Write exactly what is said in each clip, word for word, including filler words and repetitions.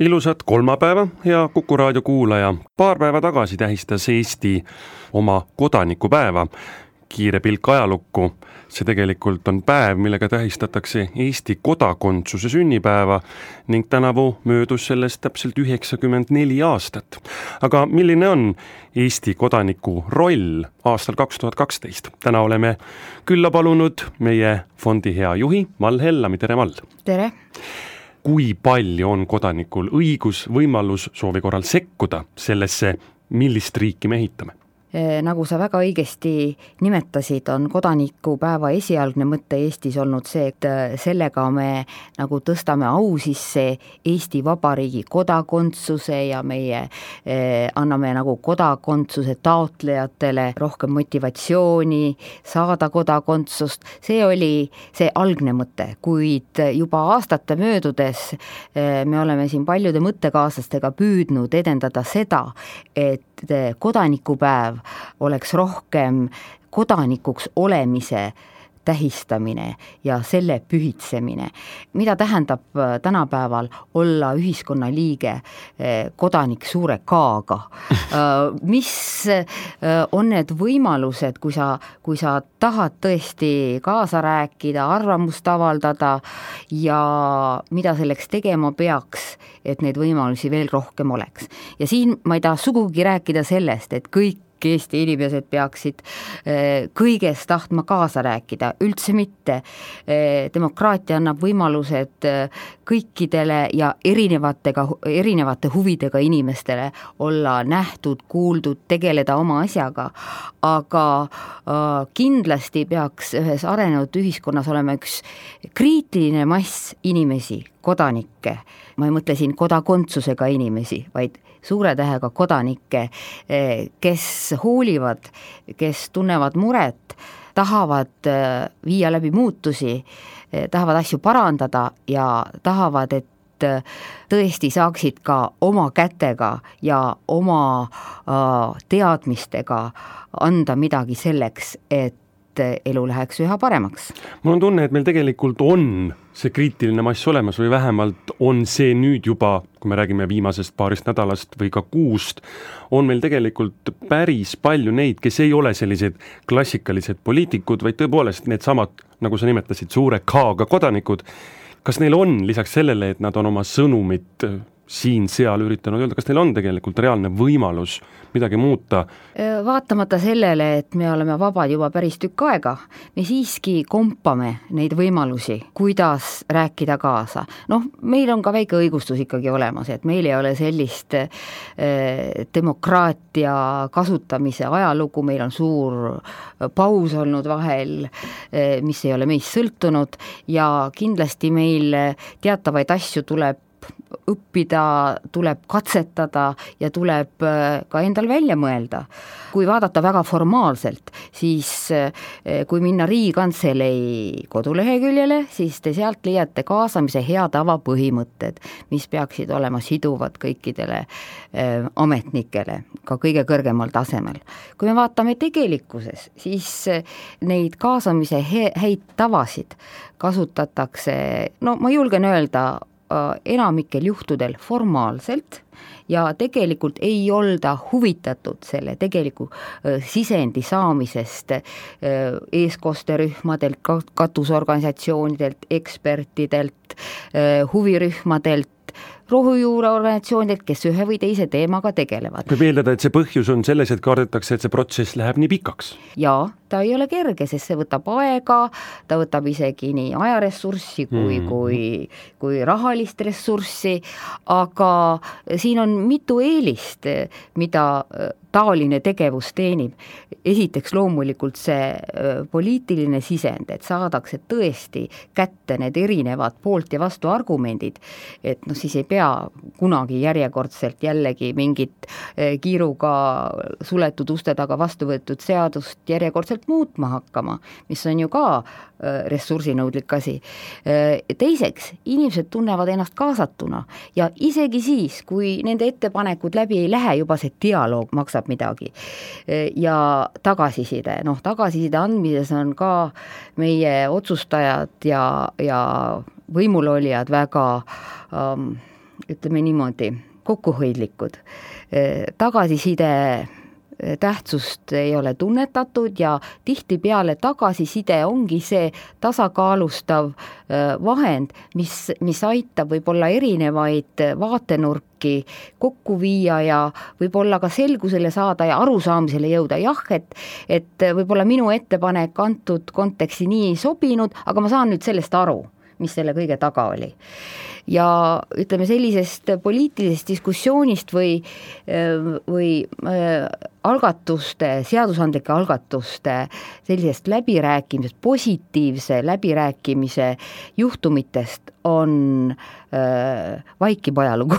Ilusat kolmapäeva, hea Kuku raadio kuulaja. Paar päeva tagasi tähistas Eesti oma kodanikupäeva. Kiire pilk ajalukku. See tegelikult on päev, millega tähistatakse Eesti kodakondsuse sünnipäeva ning tänavu möödus sellest täpselt üheksakümmend neli aastat. Aga milline on Eesti kodaniku roll aastal kaks tuhat kaksteist? Täna oleme külla palunud meie fondi hea juhi Mall Hellami. Tere, Mall! Tere! Kui palju on kodanikul õigus, võimalus soovi korral sekkuda sellesse, millist riiki me ehitame? Nagu sa väga õigesti nimetasid, on kodanikupäeva esialgne mõte Eestis olnud see, et sellega me nagu tõstame au sisse Eesti Vabariigi kodakondsuse ja meie eh, anname nagu kodakondsuse taotlejatele rohkem motivatsiooni saada kodakondsust. See oli see algne mõte, kuid juba aastate möödudes eh, me oleme siin paljude mõttekaaslastega püüdnud edendada seda, et kodanikupäev oleks rohkem kodanikuks olemise tähistamine ja selle pühitsemine. Mida tähendab tänapäeval olla ühiskonna liige, kodanik suure kaaga? Mis on need võimalused, kui sa, kui sa tahad tõesti kaasa rääkida, arvamust avaldada ja mida selleks tegema peaks, et neid võimalusi veel rohkem oleks. Ja siin ma ei taha sugugi rääkida sellest, et kõik Eesti inimesed peaksid kõigest tahtma kaasa rääkida, üldse mitte. Demokraatia annab võimalused kõikidele ja erinevatega, erinevate huvidega inimestele olla nähtud, kuuldud, tegeleda oma asjaga, aga kindlasti peaks ühes arenenud ühiskonnas olema üks kriitiline mass inimesi, kodanikke. Ma ei mõtle siin kodakontsusega inimesi, vaid suure tähega kodanikke, kes hoolivad, kes tunnevad muret, tahavad viia läbi muutusi, tahavad asju parandada ja tahavad, et tõesti saaksid ka oma kätega ja oma teadmistega anda midagi selleks, et elu läheks üha paremaks. Mul on tunne, et meil tegelikult on see kriitiline mass olemas või vähemalt on see nüüd juba, kui me räägime viimasest paarist nädalast või ka kuust, on meil tegelikult päris palju neid, kes ei ole sellised klassikalised poliitikud, vaid tõepoolest need samad, nagu sa nimetasid, suure kaaga kodanikud. Kas neil on lisaks sellele, et nad on oma sõnumit siin-seal üritanud öelda, kas neil on tegelikult reaalne võimalus midagi muuta? Vaatamata sellele, et me oleme vabad juba päris tükk aega, me siiski kompame neid võimalusi, kuidas rääkida kaasa. Noh, meil on ka väike õigustus ikkagi olemas, et meil ei ole sellist eh, demokraatia kasutamise ajalugu, meil on suur paus olnud vahel, eh, mis ei ole meist sõltunud ja kindlasti meil teatavaid asju tuleb õppida, tuleb katsetada ja tuleb ka endal välja mõelda. Kui vaadata väga formaalselt, siis kui minna Riigikantselei koduleheküljele, siis te sealt leiate kaasamise hea tava põhimõtted, mis peaksid olema siduvad kõikidele ametnikele, ka kõige kõrgemal tasemel. Kui me vaatame tegelikkuses, siis neid kaasamise häid tavasid kasutatakse, no ma julgen öelda, enamikel juhtudel formaalselt ja tegelikult ei olda huvitatud selle tegeliku sisendi saamisest eeskosterühmadelt, katusorganisatsioonidelt, ekspertidelt, huvirühmadelt, rohujuureorganisatsioonidelt, kes ühe või teise teemaga tegelevad. Võib eeldada, et see põhjus on selles, et kardetakse, et see protsess läheb nii pikaks. Jaa, ta ei ole kerge, sest see võtab aega, ta võtab isegi nii ajaressurssi kui, mm. kui, kui rahalist ressurssi, aga siin on mitu eelist, mida taoline tegevus teenib. Esiteks loomulikult see poliitiline sisend, et saadakse tõesti kätte need erinevad poolt ja vastu argumendid, et noh, siis ei pea kunagi järjekordselt jällegi mingit kiiruga suletud uste taga vastu võetud seadust järjekordselt muutma hakkama, mis on ju ka ressursinõudlik asi. Teiseks, inimesed tunnevad ennast kaasatuna ja isegi siis, kui nende ettepanekud läbi ei lähe, juba see dialoog maksab midagi. Ja tagasiside, noh tagasiside andmises on ka meie otsustajad ja, ja võimulolijad väga ähm, ütleme niimoodi, kokkuhoidlikud. Tagasiside tähtsust ei ole tunnetatud ja tihtipeale tagasiside ongi see tasakaalustav vahend, mis, mis aitab võib-olla erinevaid vaatenurki kokku viia ja võib-olla ka selgusele saada ja arusaamisele jõuda. Jah, et, et võib-olla minu ettepanek antud konteksti nii ei sobinud, aga ma saan nüüd sellest aru, mis selle kõige taga oli. Ja ütleme sellisest poliitilisest diskussioonist või, või algatuste, seadusandlike algatuste sellisest läbirääkimisest, positiivse läbirääkimise juhtumitest on äh, vaikib ajalugu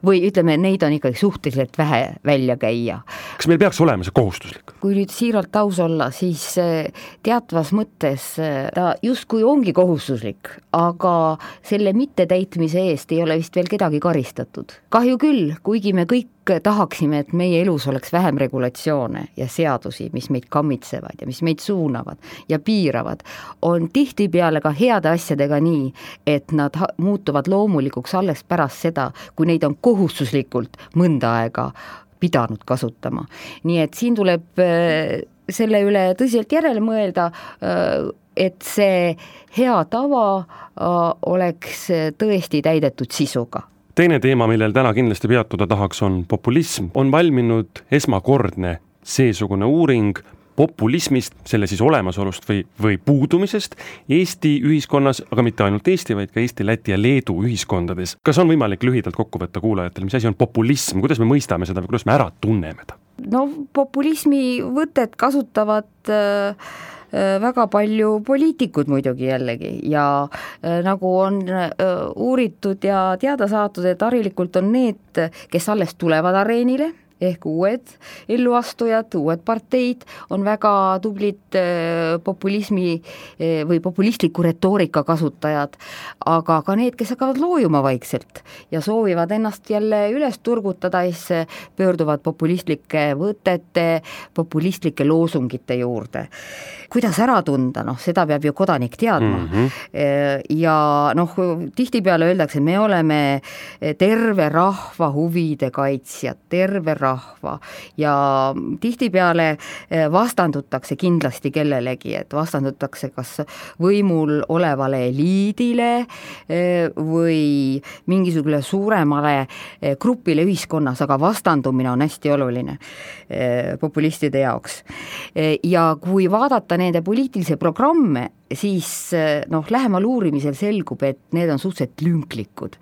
või ütleme, neid on ikkagi suhteliselt vähe välja käia. Kas meil peaks olema see kohustuslik? Kui nüüd siiralt aus olla, siis teatvas mõttes ta justkui ongi kohustuslik, aga selle mittetäitmise eest ei ole vist veel kedagi karistatud. Kahju küll, kuigi me kõik tahaksime, et meie elus oleks vähem regulatsioone ja seadusi, mis meid kammitsevad ja mis meid suunavad ja piiravad, on tihtipeale ka heade asjadega nii, et nad muutuvad loomulikuks alles pärast seda, kui neid on kohustuslikult mõnda aega pidanud kasutama. Nii et siin tuleb selle üle tõsiselt järele mõelda, et see hea tava oleks tõesti täidetud sisuga. Teine teema, millel täna kindlasti peatuda tahaks, on populism. On valminud esmakordne seesugune uuring populismist, selle siis olemasolust või, või puudumisest Eesti ühiskonnas, aga mitte ainult Eesti, vaid ka Eesti, Läti ja Leedu ühiskondades. Kas on võimalik lühidalt kokku võtta kuulajatele, mis asi on populism, kuidas me mõistame seda või kuidas me ära tunneme ta? No populismi võtet kasutavad äh, väga palju poliitikud muidugi jällegi ja äh, nagu on äh, uuritud ja teada saadud, et harilikult on need, kes alles tulevad areenile, ehk uued elluastujad, uued parteid on väga tublid populismi või populistliku retoorika kasutajad, aga ka need, kes hakkavad loojuma vaikselt ja soovivad ennast jälle üles turgutada, siis pöörduvad populistlike võtete, populistlike loosungite juurde. Kuidas ära tunda, noh, seda peab ju kodanik teadma. Mm-hmm. Ja noh, tihtipeale öeldakse, me oleme terve rahva huvide kaitsjad, terve rahva ja tihtipeale vastandutakse kindlasti kellelegi, et vastandutakse kas võimul olevale eliidile või mingisugune suuremale grupile ühiskonnas, aga vastandumine on hästi oluline populistide jaoks. Ja kui vaadata nende poliitilise programme, siis noh, lähemal uurimisel selgub, et need on suhteliselt lünklikud.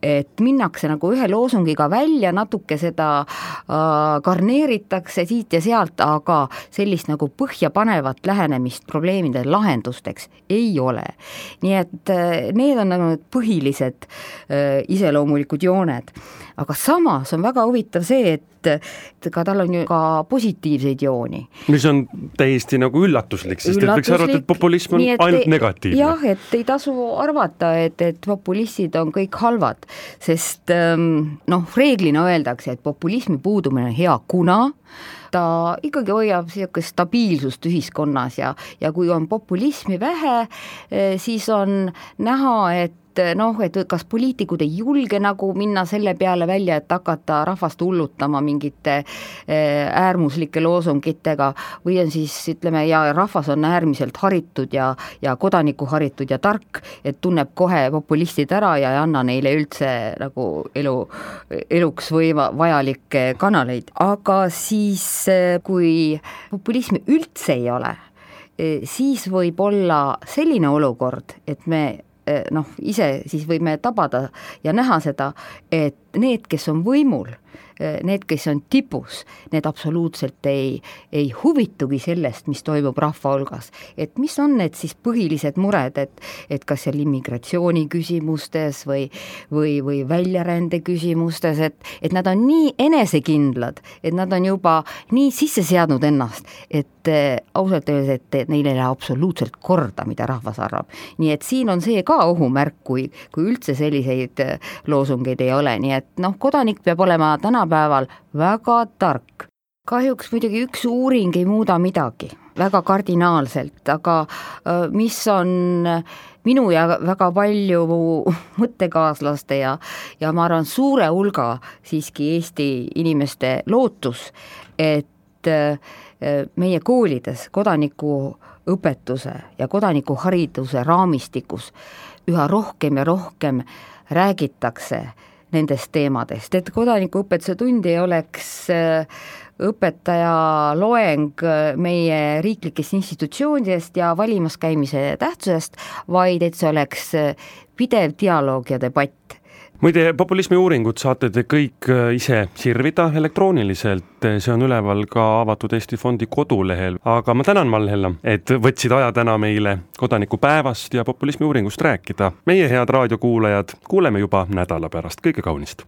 Et minnakse nagu ühe loosungiga välja, natuke seda äh, karneeritakse siit ja sealt, aga sellist nagu põhjapanevat lähenemist probleemide lahendusteks ei ole. Nii et äh, need on nagu põhilised äh, iseloomulikud jooned. Aga samas on väga huvitav see, et ka tal on ju ka positiivseid jooni. Mis on täiesti nagu üllatuslik, sest üllatuslik, et võiks arvata, et populism on et ainult te, negatiivne. Jah, et ei tasu arvata, et, et populistid on kõik halvad, sest noh, reeglina öeldakse, et populismi puudumine on hea, kuna ta ikkagi hoiab sellist stabiilsust ühiskonnas ja, ja kui on populismi vähe, siis on näha, et noh, et kas poliitikud ei julge nagu minna selle peale välja, et hakata rahvast hullutama mingite äärmuslike loosungitega või on siis, ütleme, ja rahvas on äärmiselt haritud ja, ja kodaniku haritud ja tark, et tunneb kohe populistid ära ja ei anna neile üldse nagu elu, eluks või vajalikke kanaleid. Aga siis, kui populismi üldse ei ole, siis võib olla selline olukord, et me noh, ise siis võime tabada ja näha seda, et need, kes on võimul, need, kes on tipus, need absoluutselt ei, ei huvitugi sellest, mis toimub rahva hulgas. Et mis on need siis põhilised mured, et, et kas seal immigratsiooni küsimustes või, või, või väljarände küsimustes, et, et nad on nii enesekindlad, et nad on juba nii sisse seadnud ennast, et ausalt öeldes, et neil ei lähe absoluutselt korda, mida rahvas arvab. Nii et siin on see ka ohumärk, kui, kui üldse selliseid loosungeid ei ole, nii et noh, kodanik peab olema tänapäeval väga tark. Kahjuks muidugi üks uuring ei muuda midagi, väga kardinaalselt, aga mis on minu ja väga palju mõttekaaslaste ja, ja ma arvan suure hulga siiski Eesti inimeste lootus, et meie koolides kodanikuõpetuse ja kodanikuhariduse raamistikus üha rohkem ja rohkem räägitakse nendest teemadest, et kodanikuõpetuse tund ei oleks õpetaja loeng meie riiklikest institutsioonidest ja valimas käimise tähtsusest, vaid et see oleks pidev dialoog ja debatt. Muide, populismi uuringut saate te kõik ise sirvida elektrooniliselt, see on üleval ka Avatud Eesti Fondi kodulehel, aga ma tänan, Mall-Hella, et võtsid aja täna meile kodanikupäevast ja populismi uuringust rääkida. Meie head raadiokuulajad, kuuleme juba nädala pärast, kõike kaunist!